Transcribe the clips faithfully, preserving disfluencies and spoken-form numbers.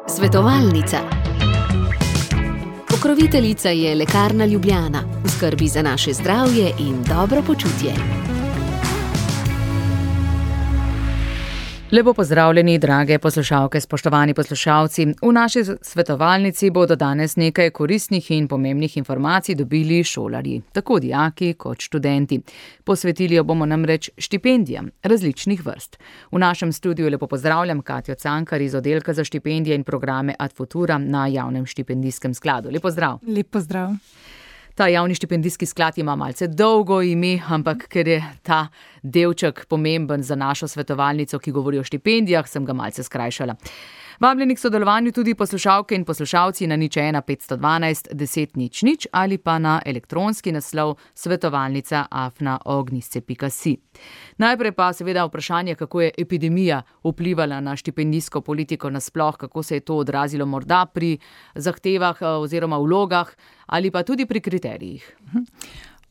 Svetovalnica. Pokroviteljica je Lekarna Ljubljana, v skrbi za naše zdravje in dobro počutje. Lepo pozdravljeni, drage poslušalke, spoštovani poslušalci. V naši svetovalnici bodo danes nekaj koristnih in pomembnih informacij dobili šolarji, tako dijaki kot študenti. Posvetili jo bomo namreč štipendijam različnih vrst. V našem studiu lepo pozdravljam Katjo Cankar iz oddelka za štipendije in programe Ad Futura na Javnem štipendijskem skladu. Lep pozdrav. Lep pozdrav. Ta javni štipendijski sklad ima malce dolgo ime, ampak ker je ta delček pomemben za našo svetovalnico, ki govori o štipendijah, sem ga malce skrajšala. Vabljeni k sodelovanju tudi poslušalke in poslušalci na nič ena petsto dvanajst deset nič nič ali pa na elektronski naslov svetovalnica afna ognjice pika si. Najprej pa seveda vprašanje, kako je epidemija vplivala na štipendijsko politiko nasploh, kako se je to odrazilo morda pri zahtevah oziroma vlogah ali pa tudi pri kriterijih.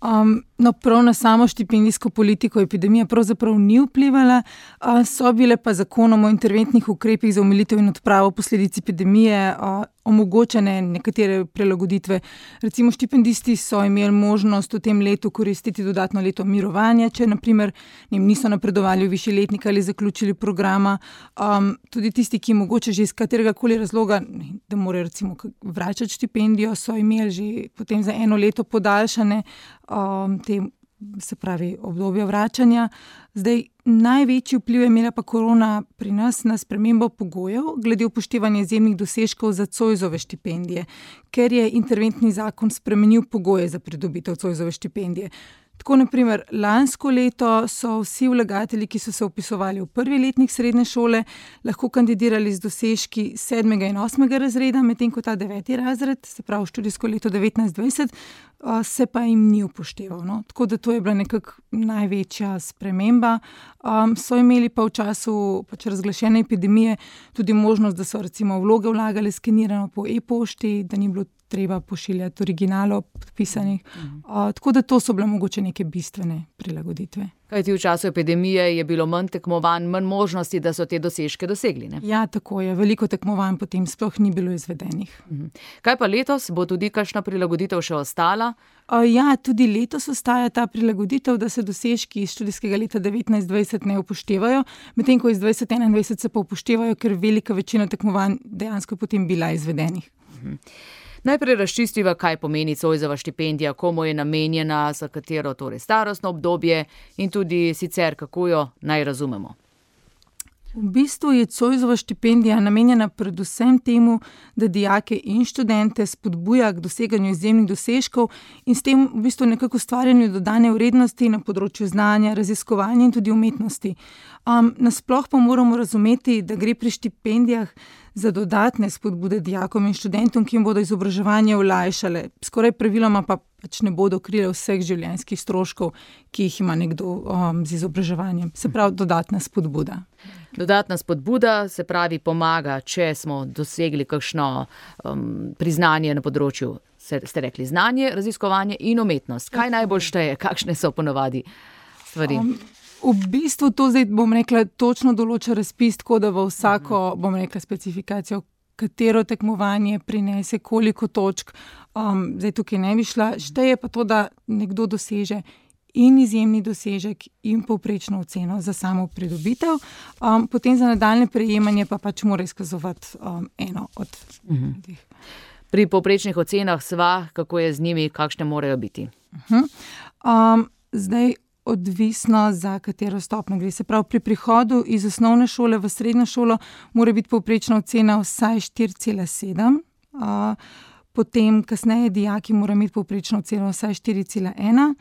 Um, no, prav na samo štipendijsko politiko epidemija pravzaprav ni vplivala, uh, so bile pa zakonom o interventnih ukrepih za omilitev in odpravo posledic epidemije uh, omogočene nekatere prilagoditve. Recimo štipendisti so imeli možnost v tem letu koristiti dodatno leto mirovanja, če naprimer niso napredovali v višji letnik ali zaključili programa. Um, tudi tisti, ki mogoče že iz katerega koli razloga, da morajo recimo vračati štipendijo, so imeli že potem za eno leto podaljšane um, te, se pravi, obdobja vračanja. Zdaj, največji vpliv je imela pa korona pri nas na spremembo pogojev glede upoštevanja izjemnih dosežkov za Zoisove štipendije, ker je interventni zakon spremenil pogoje za pridobitev Zoisove štipendije. Tako naprimer, lansko leto so vsi vlagatelji, ki so se vpisovali v prvi letnik srednje šole, lahko kandidirali z dosežki sedmega in osmega razreda, medtem ko ta deveti razred, se pravi študijsko leto devetnajst dvajset, se pa jim ni upošteval. No? Tako da to je bila nekako največja sprememba. Um, so imeli pa v času pač razglašene epidemije tudi možnost, da so recimo vloge vlagali skenirano po e-pošti, da ni bilo treba pošiljati originalov podpisanih. Mhm. Uh, tako da to so bile mogoče neke bistvene prilagoditve. Kajti v času epidemije je bilo manj tekmovanj, manj možnosti, da so te dosežke dosegli, ne? Ja, tako je. Veliko tekmovanj potem sploh ni bilo izvedenih. Mhm. Kaj pa letos? Bo tudi kakšna prilagoditev še ostala? Uh, ja, tudi letos ostaja ta prilagoditev, da se dosežki iz študijskega leta devetnajst dvajset ne upoštevajo, medtem ko iz dvajset enaindvajset se pa upoštevajo, ker velika večina tekmovanj dejansko potem bila izvedenih. Mhm. Najprej razčistiva, kaj pomeni Zoisova štipendija, komu je namenjena, za katero torej starostno obdobje in tudi sicer, kako jo naj razumemo. V bistvu je Zoisova štipendija namenjena predvsem temu, da dijake in študente spodbuja k doseganju izjemnih dosežkov in s tem v bistvu nekako ustvarjanju dodane vrednosti na področju znanja, raziskovanja in tudi umetnosti. Um, nasploh pa moramo razumeti, da gre pri štipendijah za dodatne spodbude dijakom in študentom, ki jim bodo izobraževanje olajšale. Skoraj praviloma pa pač ne bodo krile vseh življenjskih stroškov, ki jih ima nekdo um, z izobraževanjem. Se pravi, dodatna spodbuda. Dodatna spodbuda se pravi pomaga, če smo dosegli kakšno um, priznanje na področju, ste rekli, znanje, raziskovanje in umetnost. Kaj najbolj šteje? Kakšne so ponovadi stvari? Um, V bistvu to zdaj, bom rekla, točno določa razpis, tako da v vsako, bom rekla, specifikacijo, katero tekmovanje prinese, koliko točk. Um, zdaj tukaj ne bi šla. Šteje pa to, da nekdo doseže in izjemni dosežek in povprečno oceno za samo pridobitev. Um, potem za nadaljne prejemanje pa pač mora izkazovati um, eno od uh-huh. teh. Pri povprečnih ocenah sva, kako je z njimi, kakšne morajo biti? Uh-huh. Um, zdaj, odvisno za katero stopnjo gre. Se pravi, pri prihodu iz osnovne šole v srednjo šolo mora biti povprečna ocena vsaj štiri cela sedem, uh, potem kasneje dijaki morajo imeti povprečno oceno vsaj štiri cela ena,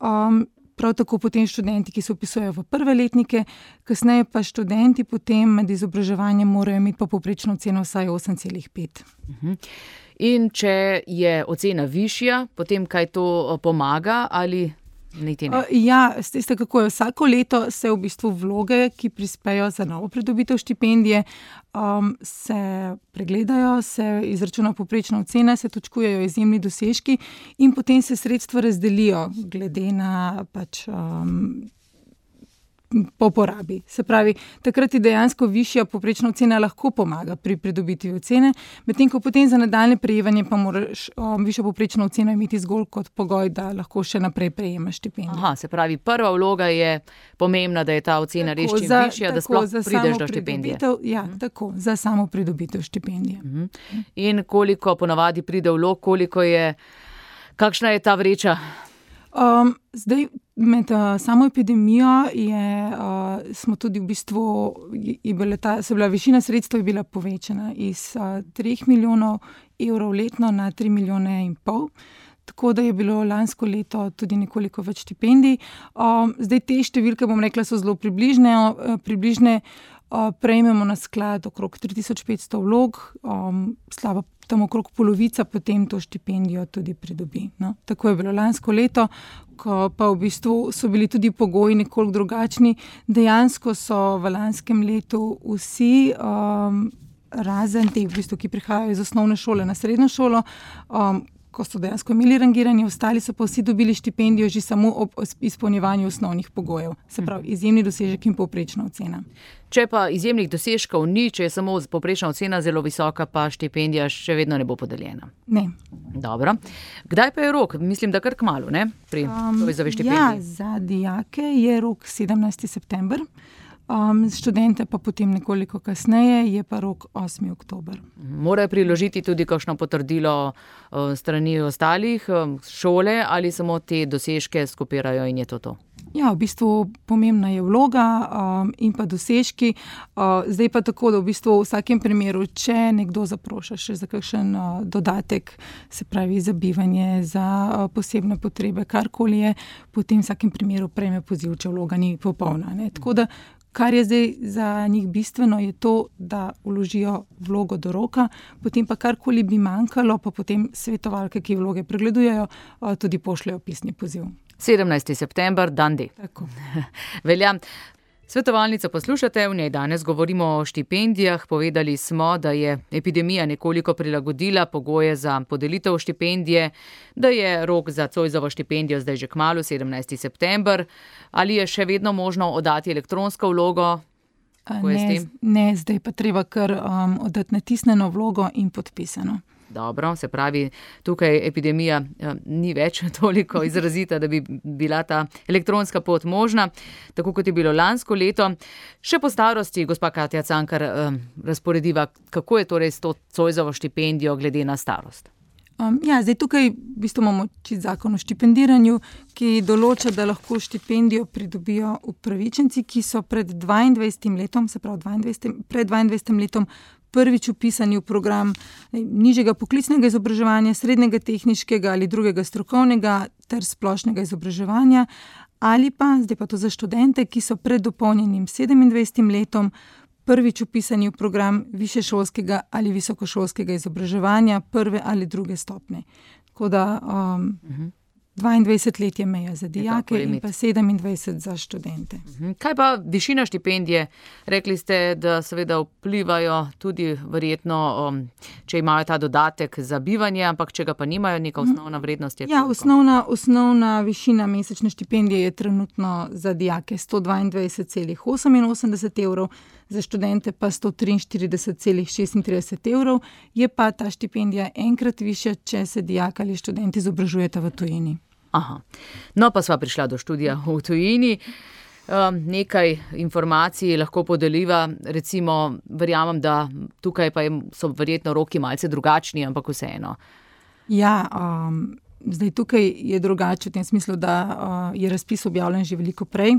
um, prav tako potem študenti, ki se vpisujejo v prve letnike, kasneje pa študenti potem med izobraževanjem morajo imeti pa povprečno oceno vsaj osem cela pet. Uh-huh. In če je ocena višja, potem kaj to pomaga ali Uh, ja, ste kako je. Vsako leto se v bistvu vloge, ki prispejo za novo pridobitev štipendije, um, se pregledajo, se izračuna povprečna ocena, se točkujejo izjemni dosežki in potem se sredstva razdelijo glede na pač um, po porabi. Se pravi, takrat je dejansko višja povprečna ocena lahko pomaga pri pridobitvi ocene, medtem ko potem za nadaljne prejemanje pa moraš um, višjo povprečno oceno imeti zgolj kot pogoj, da lahko še naprej prejemaš štipendijo. Aha, se pravi, prva vloga je pomembna, da je ta ocena res čim višja, da sploh prideš do štipendije. Ja, uh-huh. tako, za samo pridobitev štipendije. Uh-huh. In koliko ponavadi pride vlog, koliko je, kakšna je ta vreča? Um, zdaj, med uh, samo epidemijo je, uh, smo tudi v bistvu, je bila ta, se bila višina sredstev je bila povečana iz uh, treh milijonov evrov letno na tri milijone in pol. Tako da je bilo lansko leto tudi nekoliko več štipendij. Um, zdaj te številke, bom rekla, so zelo približne. Uh, približne uh, prejmemo na sklad okrog tri tisoč petsto vlog, um, slaba tam okrog polovica potem to štipendijo tudi pridobi. No? Tako je bilo lansko leto, ko pa v bistvu so bili tudi pogoji nekoliko drugačni. Dejansko so v lanskem letu vsi, um, razen teh, v bistvu, ki prihajajo iz osnovne šole na srednjo šolo, um, ko so dejansko imeli rangiranje, ostali so pa vsi dobili štipendijo že samo ob izpolnjevanju osnovnih pogojev. Se pravi, izjemni dosežek in povprečna ocena. Če pa izjemnih dosežkov ni, če je samo povprečna ocena zelo visoka, pa štipendija še vedno ne bo podeljena. Ne. Dobro. Kdaj pa je rok? Mislim, da kar kmalu, ne? Pri um, povezavi štipendij. Ja, za dijake je rok sedemnajsti september. Um, študente pa potem nekoliko kasneje, je pa rok osmi oktober. Morajo priložiti tudi kakšno potrdilo uh, strani ostalih um, šole ali samo te dosežke skopirajo in je to to? Ja, v bistvu pomembna je vloga um, in pa dosežki. Uh, zdaj pa tako, da v bistvu v vsakem primeru, če nekdo zaproša še za kakšen uh, dodatek, se pravi za bivanje, za uh, posebne potrebe, karkoli je, potem v vsakem primeru prejme poziv, če vloga ni popolna. Ne? Tako da kar je zdaj za njih bistveno, je to, da vložijo vlogo do roka, potem pa karkoli bi manjkalo, pa potem svetovalke, ki vloge pregledujejo, tudi pošljajo pisni poziv. sedemnajsti september, dan D. Tako. Velja. Svetovalnico poslušate, v njej danes govorimo o štipendijah. Povedali smo, da je epidemija nekoliko prilagodila pogoje za podelitev štipendije, da je rok za Zoisovo štipendijo zdaj že kmalu, sedemnajsti september. Ali je še vedno možno oddati elektronsko vlogo? Ne, ne, zdaj pa treba kar um, oddati natisnjeno vlogo in podpisano. Dobro, se pravi, tukaj epidemija eh, ni več toliko izrazita, da bi bila ta elektronska pot možna, tako kot je bilo lansko leto. Še po starosti, gospa Katja Cankar, eh, razporediva, kako je torej s to Zoisovo štipendijo glede na starost? Um, ja, zdaj tukaj v bistvu imamo čisto zakon o štipendiranju, ki določa, da lahko štipendijo pridobijo upravičenci, ki so pred dvaindvajsetim letom, se pravi dvaindvajsetim, pred dvaindvajsetim letom prvič vpisani v program nižjega poklicnega izobraževanja, srednjega tehniškega ali drugega strokovnega ter splošnega izobraževanja, ali pa, zdaj pa to za študente, ki so pred dopolnjenim sedemindvajsetim letom prvič vpisani v program višješolskega ali visokošolskega izobraževanja prve ali druge stopnje. Tako da um, uh-huh. dvaindvajset let je meja za dijake in pa sedemindvajset za študente. Kaj pa višina štipendije? Rekli ste, da seveda vplivajo tudi verjetno, um, če imajo ta dodatek za bivanje, ampak če ga pa nimajo, neka osnovna vrednost je koliko? Ja, osnovna, osnovna višina mesečne štipendije je trenutno za dijake sto dvaindvajset celih oseminosemdeset evrov, za študente pa sto triinštirideset celih šestintrideset evrov, je pa ta štipendija enkrat višja, če se dijak ali študent izobražujeta v tujini. Aha. No, pa sva prišla do študija v tujini. Um, nekaj informacij lahko podeliva, recimo, verjamem, da tukaj pa so verjetno roki malce drugačni, ampak vseeno. Ja, um, zdaj tukaj je drugače v tem smislu, da uh, je razpis objavljen že veliko prej.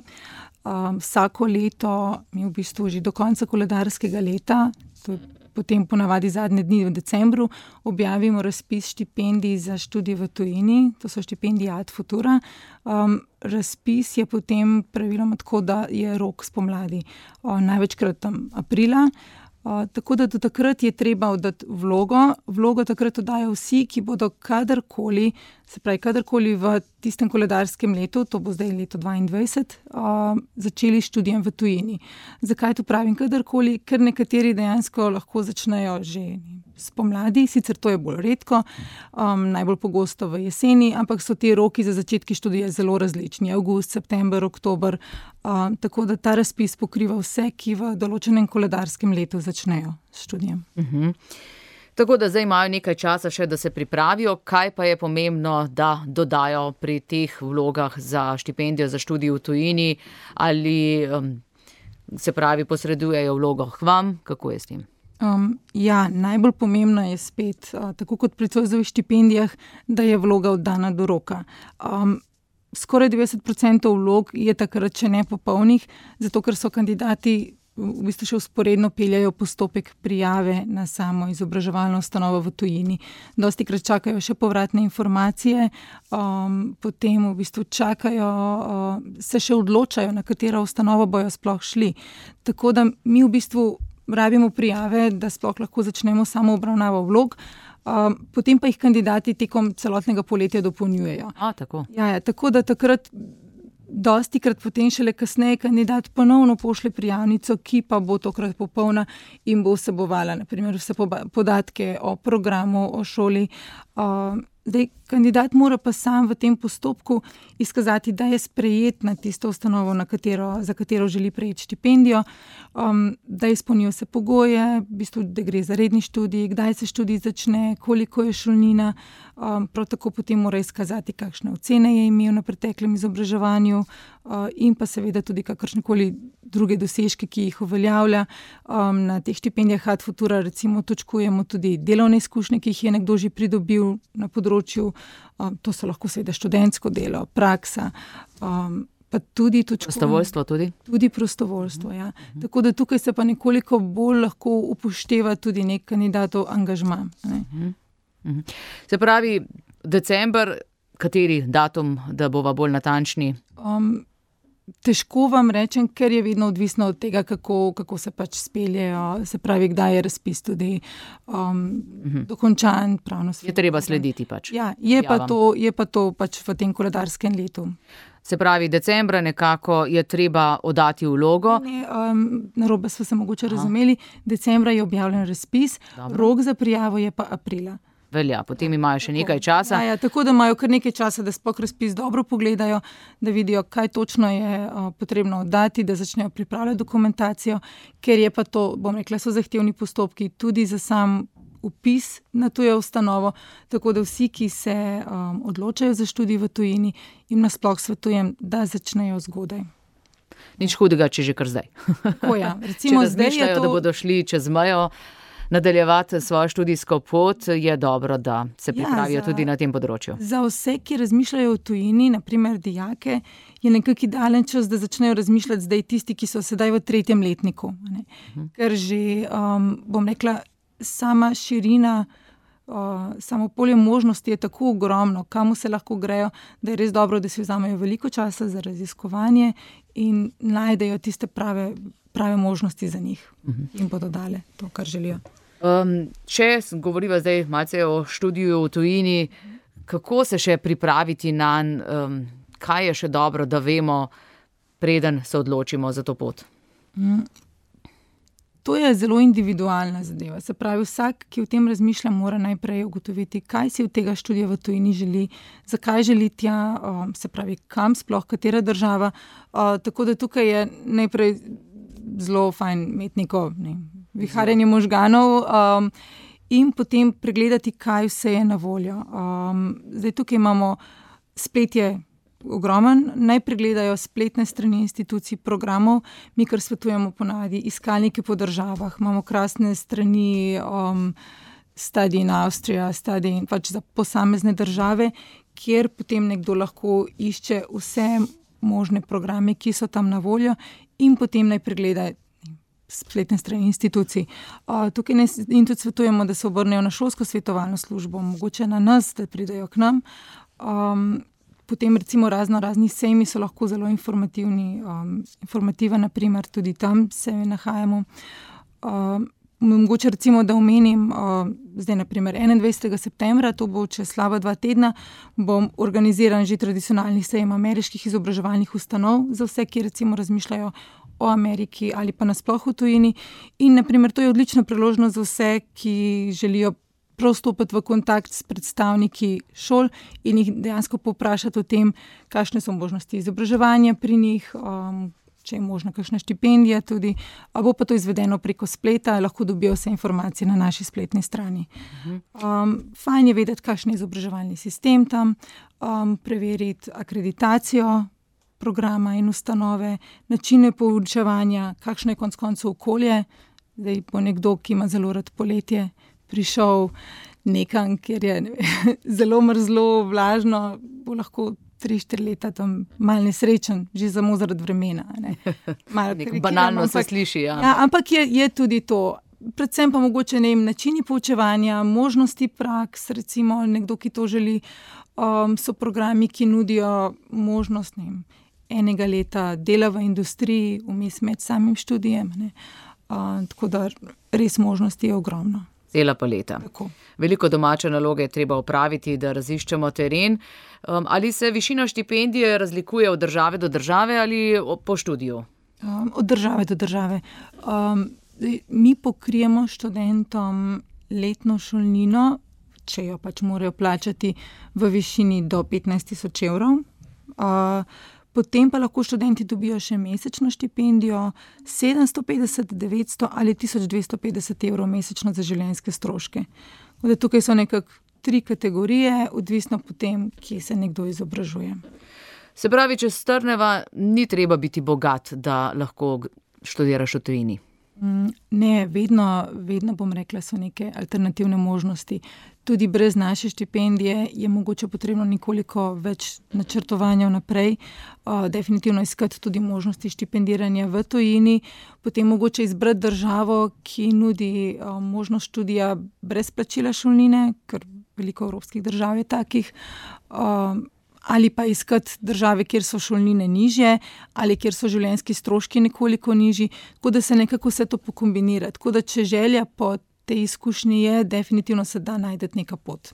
Um, vsako leto, mi v bistvu že do konca koledarskega leta, to je potem ponavadi zadnje dni v decembru, objavimo razpis štipendij za študij v tujini, to so štipendije Ad Futura. Um, razpis je potem praviloma tako, da je rok spomladi, o, največkrat tam aprila. Uh, tako da do takrat je treba oddati vlogo. Vlogo takrat oddajo vsi, ki bodo kadarkoli, se pravi kadarkoli v tistem koledarskem letu, to bo zdaj leto dvaindvajset, uh, začeli študijem v tujini. Zakaj to pravim kadarkoli? Ker nekateri dejansko lahko začnejo že spomladi, sicer to je bolj redko, um, najbolj pogosto v jeseni, ampak so ti roki za začetki študija zelo različni, avgust, september, oktober, um, tako da ta razpis pokriva vse, ki v določenem koledarskem letu začnejo s študijem. Uh-huh. Tako da zdaj imajo nekaj časa še, da se pripravijo. Kaj pa je pomembno, da dodajo pri teh vlogah za štipendijo za študij v tujini ali um, se pravi posredujejo vlogo k vam? Kako je s tem? Um, ja, najbolj pomembno je spet, uh, tako kot pri Zoisovih štipendijah, da je vloga oddana do roka. Um, skoraj devetdeset procentov vlog je takrat še nepopolnih, zato ker so kandidati v bistvu še vzporedno peljajo postopek prijave na samo izobraževalno ustanovo v tujini. Dostikrat čakajo še povratne informacije, um, potem v bistvu čakajo, uh, se še odločajo, na katero ustanovo bojo sploh šli. Tako da mi v bistvu rabimo prijave, da sploh lahko začnemo samo obravnavo vlog, um, potem pa jih kandidati tekom celotnega poletja dopolnjujejo. A, tako. Ja, ja, tako da takrat dostikrat potem šele kasneje kandidat ponovno pošlje prijavnico, ki pa bo tokrat popolna in bo vsebovala na primer vse podatke o programu, o šoli. Uh, Zdaj, kandidat mora pa sam v tem postopku izkazati, da je sprejet na tisto ustanovo, na katero, za katero želi prejeti štipendijo, um, da izpolnijo vse pogoje, v bistvu, da gre za redni študij, kdaj se študij začne, koliko je šolnina, um, prav tako potem mora izkazati, kakšne ocene je imel na preteklem izobraževanju uh, in pa seveda tudi kakršnekoli druge dosežke, ki jih uveljavlja. Um, na teh štipendijah Ad Futura recimo točkujemo tudi delovne izkušnje, ki jih je nekdo že pridobil na področju, um, to so lahko seveda študentsko delo, praksa, um, pa tudi točkujemo. Prostovoljstvo tudi? Tudi prostovoljstvo, ja. Uh-huh. Tako da tukaj se pa nekoliko bolj lahko upošteva tudi nek kandidatov angažma. Ne. Uh-huh. Uh-huh. Se pravi, december, kateri datum, da bova bolj natančni? Um, Težko vam rečem, ker je vedno odvisno od tega, kako, kako se pač speljejo, se pravi, kdaj je razpis tudi um, uh-huh. dokončan, pravno svet. Je treba slediti pač. Ja, je pa, to, je pa to pač v tem koledarskem letu. Se pravi, decembra nekako je treba oddati vlogo. Ne, um, narobe smo se mogoče Aha. razumeli, decembra je objavljen razpis, Dobro. rok za prijavo je pa aprila. Velja, potem imajo še nekaj časa. Ja, ja, tako da imajo kar nekaj časa, da sploh razpis dobro pogledajo, da vidijo, kaj točno je uh, potrebno oddati, da začnejo pripravljati dokumentacijo, ker je pa to, bom rekla, so zahtevni postopki tudi za sam vpis na tujo ustanovo, tako da vsi, ki se um, odločajo za študij v tujini, jim nasploh svetujem, da začnejo zgodaj. Nič hudega, če že kar zdaj. Tako ja, recimo če razmišljajo, to... da bodo šli čez mejo, nadaljevati svojo študijsko pot, je dobro, da se pripravijo ja, za, tudi na tem področju. Za vse, ki razmišljajo v tujini, naprimer dijake, je nekako idealen čas, da začnejo razmišljati zdaj tisti, ki so sedaj v tretjem letniku. Ne? Uh-huh. Ker že, um, bom rekla, sama širina, uh, samo polje možnosti je tako ogromno, kamu se lahko grejo, da je res dobro, da si vzamejo veliko časa za raziskovanje in najdejo tiste prave, prave možnosti za njih uh-huh. in bodo dale to, kar želijo. Um, če govoriva zdaj malce o študiju v tujini, kako se še pripraviti nanj, um, kaj je še dobro, da vemo, preden se odločimo za to pot? Mm. To je zelo individualna zadeva. Se pravi, vsak, ki v tem razmišlja, mora najprej ugotoviti, kaj si od tega študija v tujini želi, zakaj želi tja, um, se pravi, kam sploh, katera država. Uh, tako da tukaj je najprej zelo fajn imeti neko ne, viharjenje možganov um, in potem pregledati, kaj vse je na voljo. Um, zdaj tukaj imamo spletje ogromen, naj pregledajo spletne strani institucij, programov, mi kar svetujemo ponavadi, iskalnike po državah, imamo krasne strani um, Study in Austria, Study in pač za posamezne države, kjer potem nekdo lahko išče vse možne programe, ki so tam na voljo in potem naj pregleda spletne strani institucij. Uh, tukaj ne, in tudi svetujemo, da se obrnejo na šolsko svetovalno službo, mogoče na nas, da pridejo k nam. Um, potem recimo razno razni sejmi so lahko zelo informativni, um, informativa, naprimer, tudi tam se nahajamo. Um, mogoče recimo, da omenim, uh, zdaj naprimer enaindvajsetega septembra, to bo čez slaba dva tedna, bom organiziran že tradicionalni sejem ameriških izobraževalnih ustanov za vse, ki recimo razmišljajo o Ameriki ali pa nasploh v tujini. In naprimer, to je odlična priložnost za vse, ki želijo prav stopiti v kontakt s predstavniki šol in jih dejansko povprašati o tem, kakšne so možnosti izobraževanja pri njih, um, če je možna kakšna štipendija tudi. Bo pa to izvedeno preko spleta, lahko dobijo vse informacije na naši spletni strani. Um, fajn je vedeti, kakšen je izobraževalni sistem tam, um, preveriti akreditacijo programa in ustanove, načine poučevanja, kakšno je konec koncev okolje. Zdaj bo nekdo, ki ima zelo rad poletje, prišel nekam, kjer je ne vem, zelo mrzlo, vlažno, bo lahko tri, štiri leta tam malo nesrečen, že samo zaradi vremena. Ne. Nekaj banalno se sliši. Ja. Ja, ampak je, je tudi to. Predvsem pa mogoče ne vem, načini poučevanja, možnosti praks, recimo nekdo, ki to želi, um, so programi, ki nudijo možnost ne vem, enega leta dela v industriji, vmes med samim študijem. Ne. Uh, tako da res možnosti je ogromno. Cela paleta. Tako. Veliko domače naloge je treba opraviti, da raziščemo teren. Um, ali se višina štipendije razlikuje od države do države ali po študiju? Um, od države do države. Um, mi pokrijemo študentom letno šolnino, če jo pač morajo plačati v višini do petnajst tisoč evrov. Uh, Potem pa lahko študenti dobijo še mesečno štipendijo sedemsto petdeset, devetsto ali tisoč dvesto petdeset evrov mesečno za življenjske stroške. Tukaj so nekako tri kategorije, odvisno potem, kje se nekdo izobražuje. Se pravi, če strneva, ni treba biti bogat, da lahko študiraš v tujini? Ne, vedno, vedno bom rekla, so neke alternativne možnosti. Tudi brez naše štipendije je mogoče potrebno nekoliko več načrtovanja vnaprej, uh, definitivno iskati tudi možnosti štipendiranja v tujini, potem mogoče izbrati državo, ki nudi uh, možnost študija brez plačila šolnine, ker veliko evropskih držav je takih, uh, ali pa iskati države, kjer so šolnine nižje, ali kjer so življenjski stroški nekoliko nižji, tako da se nekako vse to pokombinira. Tako da če želja po tej izkušnji je, definitivno se da najti neka pot.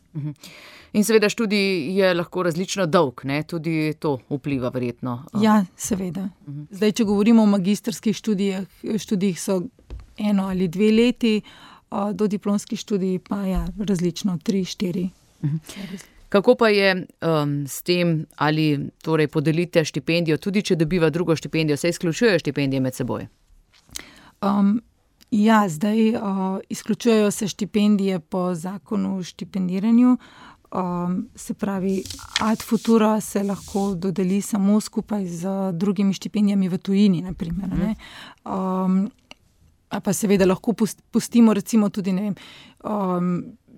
In seveda študij je lahko različno dolg, ne? Tudi to vpliva verjetno. Ja, seveda. Zdaj, če govorimo o magistrskih študijah, študijih so eno ali dve leti, do diplomskih študij pa ja, različno, tri, štiri. Kako pa je um, s tem, ali torej podelite štipendijo, tudi če dobiva drugo štipendijo, se izključujejo štipendije med seboj? Um, ja, zdaj uh, izključujejo se štipendije po zakonu o štipendiranju. Um, se pravi, ad futura se lahko dodeli samo skupaj z drugimi štipendijami v tujini, naprimer. Ne? Um, pa seveda lahko pustimo recimo tudi, ne vem, um,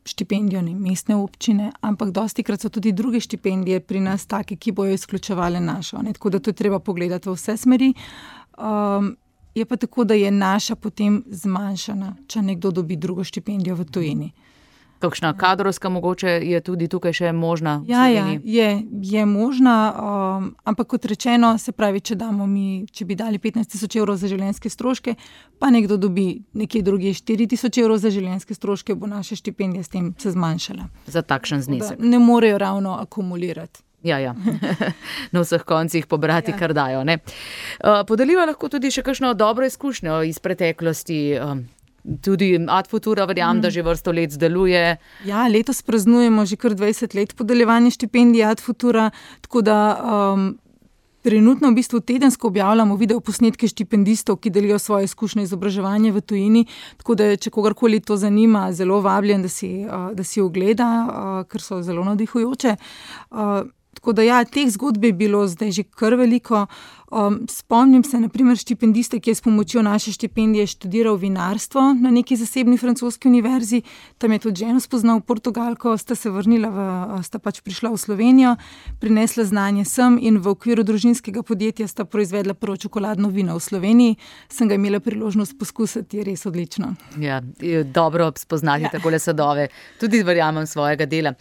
štipendijo ne, mestne občine, ampak dostikrat so tudi druge štipendije pri nas take, ki bojo izključevale našo. Ne? Tako da to je treba pogledati v vse smeri. Um, je pa tako, da je naša potem zmanjšana, če nekdo dobi drugo štipendijo v tujini. Kakšna kadrovska mogoče je tudi tukaj še možna? Ja, ja je, je možna, um, ampak kot rečeno, se pravi, če damo mi, če bi dali petnajst tisoč evrov za življenjske stroške, pa nekdo dobi nekje drugih štiri tisoč evrov za življenjske stroške, bo naša štipendija s tem se zmanjšala. Za takšen znesek. Ne morejo ravno akumulirati. Ja, ja. Na vseh koncih pobrati, ja. Kar dajo. Ne? Podeliva lahko tudi še kakšno dobro izkušnjo iz preteklosti. Tudi Ad Futura, verjam, mm. da že vrsto let deluje. Ja, letos praznujemo že kar dvajset let podeljevanje štipendij Ad Futura, tako da um, trenutno v bistvu tedensko objavljamo videoposnetke štipendistov, ki delijo svoje izkušnje izobraževanja v tujini, tako da če kogarkoli to zanima, zelo vabljen, da si, uh, da si ogleda, uh, ker so zelo navdihujoče. Uh, Tako da ja, teh zgodb je bilo zdaj že kar veliko. Um, spomnim se, na primer, štipendiste, ki je s pomočjo naše štipendije študiral vinarstvo na neki zasebni francoski univerzi. Tam je tudi ženo spoznal Portugalko, sta se vrnila, v, sta pač prišla v Slovenijo, prinesla znanje sem in v okviru družinskega podjetja sta proizvedla prvo čokoladno vino v Sloveniji. Sem ga imela priložnost poskusiti, je res odlično. Ja, dobro spoznati ja. Takole sadove. Tudi verjamem svojega dela.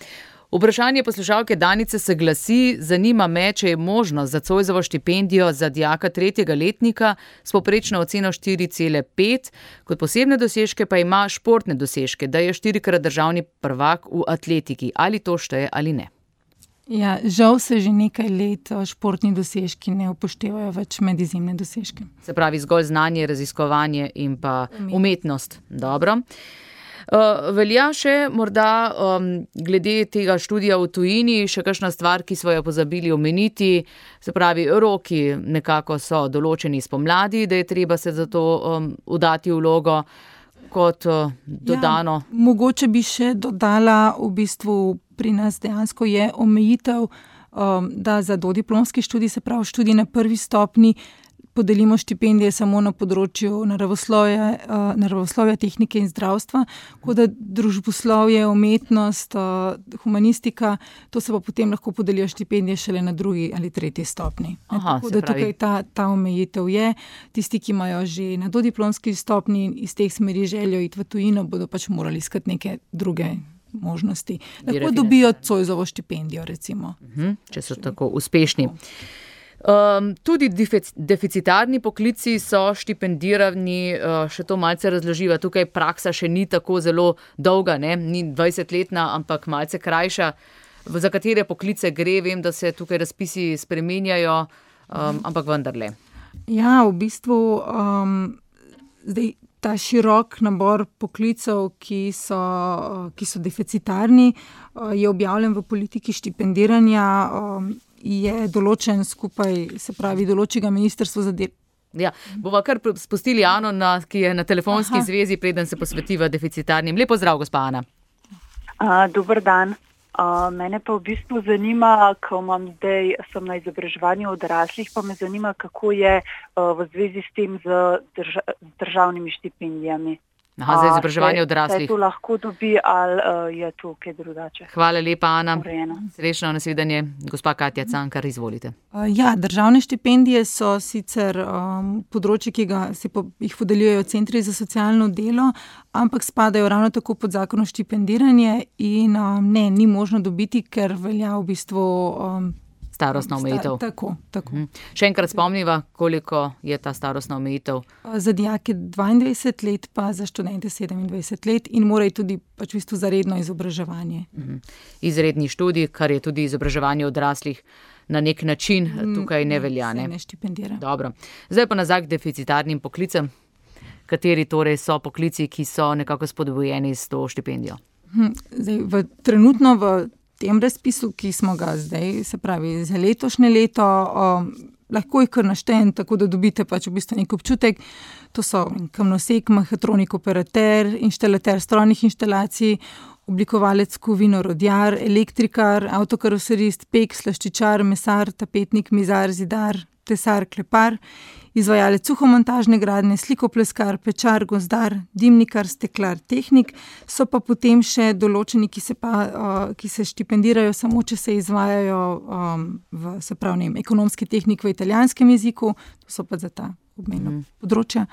Vprašanje poslušalke Danice se glasi: zanima me, če je možno za Zoisovo štipendijo za dijaka tretjega letnika s povprečno oceno štiri cela pet, kot posebne dosežke pa ima športne dosežke, da je štirikrat državni prvak v atletiki. Ali to šteje ali ne? Ja, žal se že nekaj let športni dosežki ne upoštevajo več med izjemne dosežke. Se pravi zgolj znanje, raziskovanje in pa umetnost. Dobro. Uh, velja še morda um, glede tega študija v tujini, še kakšna stvar, ki smo jo pozabili omeniti, se pravi, roki nekako so določeni spomladi, da je treba se za to um, udati vlogo kot uh, dodano. Ja, mogoče bi še dodala, v bistvu pri nas dejansko je omejitev, um, da za dodiplomski študij, se pravi študij na prvi stopni, podelimo štipendije samo na področju naravoslovja, uh, naravoslovja, tehnike in zdravstva, kot da družboslovje, umetnost, uh, humanistika, to se pa potem lahko podelijo štipendije šele na drugi ali tretji stopni. Aha, tako da tukaj ta, ta omejitev je. Tisti, ki imajo že na dodiplomski stopni iz teh smeri željo iti v tujino, bodo pač morali iskati neke druge možnosti. Lahko dobijo Zoisovo štipendijo, recimo. Uh-huh, če so tako uspešni. Um, tudi deficitarni poklici so štipendirani, uh, še to malce razloživa. Tukaj praksa še ni tako zelo dolga, ne? Ni dvajsetletna, ampak malce krajša. Za katere poklice gre, vem, da se tukaj razpisi spreminjajo, um, ampak vendarle. Ja, v bistvu um, zdaj ta širok nabor poklicev, ki so, ki so deficitarni, je objavljen v politiki štipendiranja, um, je določen skupaj, se pravi, določi ga Ministrstvo za delo. Ja, bova kar spustili Ano, na, ki je na telefonski Aha. zvezi, preden se posvetiva deficitarnim. Lep pozdrav, gospa Ana. Uh, dober dan. Uh, mene pa v bistvu zanima, ko imam zdaj, sem na izobraževanju odraslih, pa me zanima, kako je uh, v zvezi s tem z, drža, z državnimi štipendijami. Aha, za izobraževanje odraslih. Se to lahko dobi ali uh, je to kaj drugače? Hvala lepa, Ana. Urejeno. Srečno nasvidenje. Gospa Katja Cankar, izvolite. Uh, ja, državne štipendije so sicer um, področje, ki ga se po, jih podeljujejo centri za socialno delo, ampak spadajo ravno tako pod zakon o štipendiranje in um, ne, ni možno dobiti, ker velja v bistvu um, starostna omejitev. Sta, tako, tako. Mhm. Še enkrat spomniva, koliko je ta starostna omejitev? Za dijake dvaindvajset let, pa za študente sedemindvajset let in morajo tudi pač v bistvu za redno izobraževanje. Mhm. Izredni študij, kar je tudi izobraževanje odraslih na nek način, tukaj ne velja. Ne, ne štipendira. Dobro. Zdaj pa nazaj k deficitarnim poklicem. Kateri torej so poklici, ki so nekako spodbujeni s to štipendijo? Zdaj, v, trenutno v tem razpisu, ki smo ga zdaj, se pravi za letošnje leto, um, lahko jih kar naštejem, tako da dobite pač v bistvu nek občutek. To so kamnosek, mehatronik, operater, inštalater strojnih inštalacij, oblikovalec kovin, orodjar, elektrikar, avtokaroserist, pek, slaščičar, mesar, tapetnik, mizar, zidar, tesar, klepar, izvajalec suhomontažne gradnje, slikopleskar, pečar, gozdar, dimnikar, steklar, tehnik, so pa potem še določeni, ki se, pa, uh, ki se štipendirajo samo, če se izvajajo um, v, se pravi, ne vem, ekonomski tehnik v italijanskem jeziku, to so pa za ta obmejna mm. področja.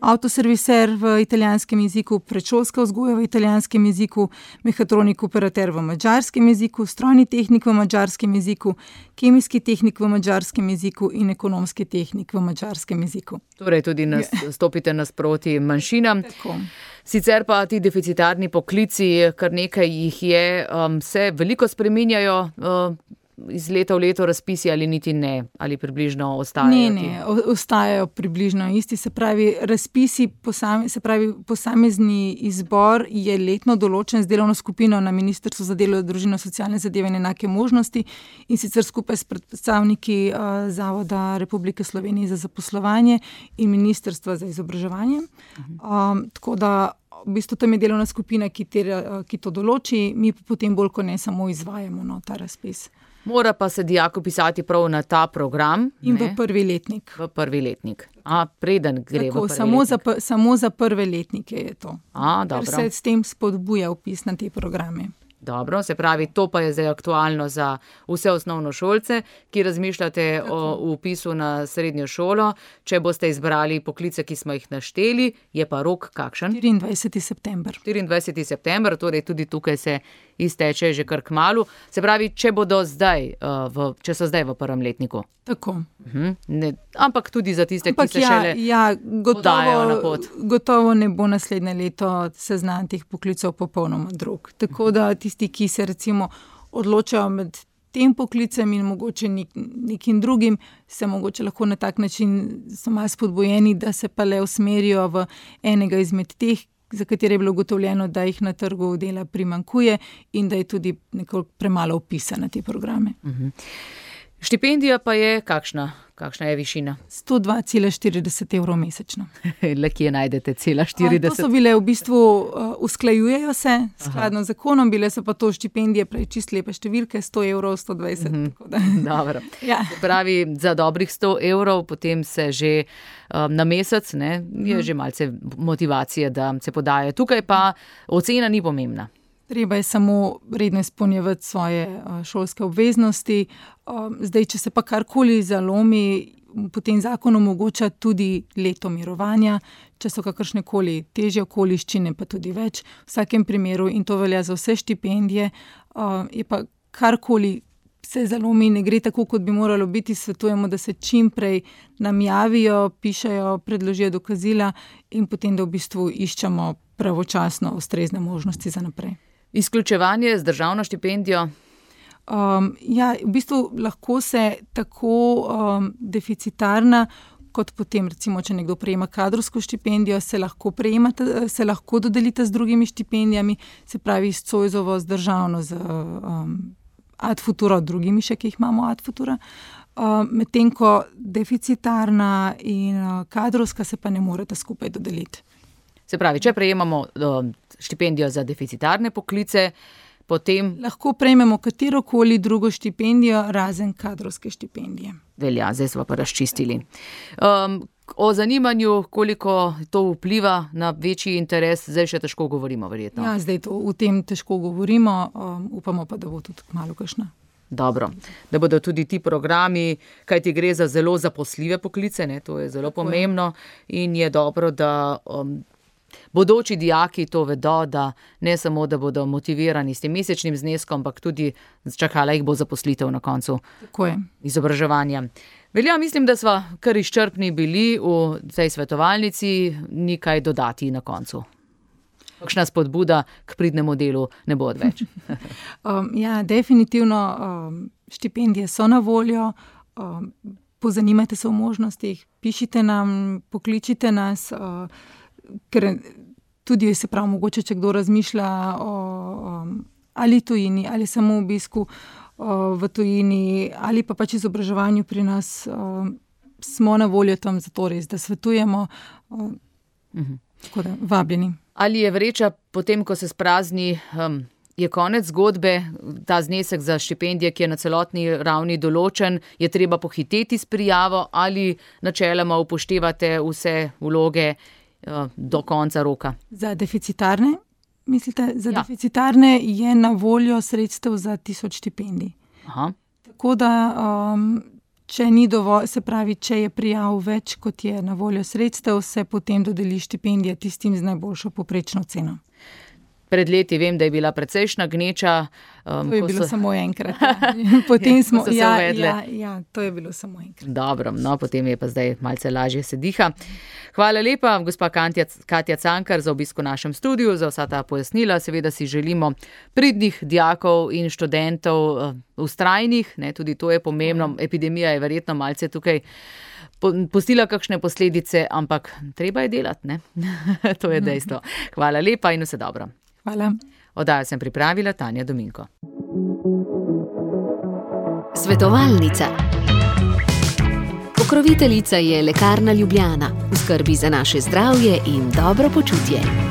Avtoserviser v italijanskem jeziku, predšolska vzgoja v italijanskem jeziku, mehatronik operater v madžarskem jeziku, strojni tehnik v madžarskem jeziku, kemijski tehnik v madžarskem jeziku in ekonomski tehnik v madžarskem jeziku. Torej tudi nas, stopite nasproti manjšinam. Tako. Sicer pa ti deficitarni poklici, kar nekaj jih je, um, se veliko spreminjajo uh, iz leta v leto razpisi ali niti ne, ali približno ostajajo? Ne, ne, ostajajo približno isti, se pravi razpisi, posame, se pravi posamezni izbor je letno določen z delovno skupino na Ministrstvu za delo, družino, socialne zadeve in enake možnosti in sicer skupaj s predstavniki uh, Zavoda Republike Slovenije za zaposlovanje in Ministrstva za izobraževanje. Um, tako da v bistvu tam je delovna skupina, ki, te, ki to določi, mi pa potem bolj kot ne samo izvajamo no, ta razpis. Mora pa se dijak upisati prav na ta program. In ne? v prvi letnik. V prvi letnik. A, preden gre Tako, v prvi samo letnik. Za, samo za prve letnike je to. A, dobro. Ker se s tem spodbuja upis na te programe. Dobro, se pravi, to pa je zdaj aktualno za vse osnovnošolce, ki razmišljate Tako. o upisu na srednjo šolo. Če boste izbrali poklice, ki smo jih našteli, je pa rok kakšen? štiriindvajseti september. štiriindvajseti september, torej tudi tukaj se izteče že kar kmalu. Se pravi, če bodo zdaj, uh, v, če so zdaj v prvem letniku. Tako. Uh-huh. Ne, ampak tudi za tiste, ampak ki se ja, šele ja, podajo na pot. Gotovo ne bo naslednje leto seznam teh poklicov popolnoma drug. Tako da tisti, ki se recimo odločajo med tem poklicem in mogoče nek, nekim drugim, se mogoče lahko na tak način so malo spodbojeni, da se pa le usmerijo v enega izmed teh, za katere je bilo ugotovljeno, da jih na trgu dela primanjkuje in da je tudi nekoliko premalo vpisa na te programe. Uh-huh. Štipendija pa je kakšna? Kakšna je višina? sto dva cela štirideset evrov mesečno. Le kje najdete cela štirideset? A, to so bile v bistvu, uh, usklajujejo se skladno z zakonom, bile so pa to štipendije, prej čist lepe številke, sto evrov, sto dvajset. Mm-hmm. Tako da. Dobro. Ja. Pravi, za dobrih sto evrov, potem se že um, na mesec, ne, je mm. že malce motivacije, da se podajo. Tukaj pa ocena ni pomembna. Treba je samo redno izpolnjevati svoje šolske obveznosti. Zdaj, če se pa karkoli zalomi, potem zakon omogoča tudi leto mirovanja, če so kakršnekoli težje okoliščine, pa tudi več. V vsakem primeru, in to velja za vse štipendije, je pa karkoli se zalomi, ne gre tako, kot bi moralo biti, svetujemo, da se čim prej nam javijo, pišejo, predložijo dokazila in potem, da v bistvu iščemo pravočasno ustrezne možnosti za naprej. Izključevanje z državno štipendijo? Um, ja, v bistvu lahko se tako um, deficitarna, kot potem recimo, če nekdo prejema kadrovsko štipendijo, se lahko, se lahko dodelita z drugimi štipendijami, se pravi s Zoisovo, z državno, z um, Ad Futuro, drugimi še, ki jih imamo Ad Futura. Um, medtem ko deficitarna in uh, kadrovska se pa ne moreta skupaj dodeliti. Se pravi, če prejemamo uh, štipendijo za deficitarne poklice, potem lahko prejmemo katerokoli drugo štipendijo, razen kadrovske štipendije. Velja, zdaj smo pa razčistili. Um, o zanimanju, koliko to vpliva na večji interes, zdaj še težko govorimo, verjetno. Ja, zdaj to v tem težko govorimo, um, upamo pa, da bo tudi kmalu kakšna. Dobro, da bodo tudi ti programi, kajti gre za zelo zaposljive poklice, ne, to je zelo Tako pomembno je. In je dobro, da um, bodoči dijaki to vedo, da ne samo, da bodo motivirani s tem mesečnim zneskom, ampak tudi čakala jih bo zaposlitev na koncu izobraževanja. Velja, mislim, da sva kar izčrpni bili v tej svetovalnici, ni kaj dodati na koncu. Kakšna spodbuda k pridnemu delu ne bo odveč. um, ja, definitivno um, štipendije so na voljo, um, pozanimajte se o možnostih, pišite nam, pokličite nas, uh, ker tudi se prav mogoče, če kdo razmišlja o um, ali tujini, ali samo obisku uh, v tujini, ali pa pač izobraževanju pri nas, uh, smo na voljo tam zato res, da svetujemo, uh, uh-huh. Tako da vabljeni. Ali je vreča potem, ko se sprazni, um, je konec zgodbe, ta znesek za štipendije, ki je na celotni ravni določen, je treba pohiteti s prijavo ali načeloma upoštevate vse vloge do konca roka? Za deficitarne, mislite? Za ja. deficitarne je na voljo sredstev za tisoč štipendij. Aha. Tako da, um, če ni dovolj, se pravi, če je prijav več, kot je na voljo sredstev, se potem dodeli štipendija tistim z najboljšo povprečno ceno. Pred leti vem, da je bila precejšna gneča. Um, to je bilo so... samo enkrat. Ja. Potem smo se ja, uvedle. Ja, ja, to je bilo samo enkrat. Dobro, no, potem je pa zdaj malce lažje se diha. Hvala lepa, gospa Katja, Katja Cankar, za obisk v našem studiu, za vsa ta pojasnila. Seveda si želimo pridnih dijakov in študentov, vztrajnih, ne, tudi to je pomembno. Epidemija je verjetno malce tukaj pustila kakšne posledice, ampak treba je delati, ne? To je dejstvo. Hvala lepa in vse dobro. Hvala. Oddajo sem pripravila Tanja Dominko. Svetovalnica. Pokroviteljica je Lekarna Ljubljana. V skrbi za naše zdravje in dobro počutje.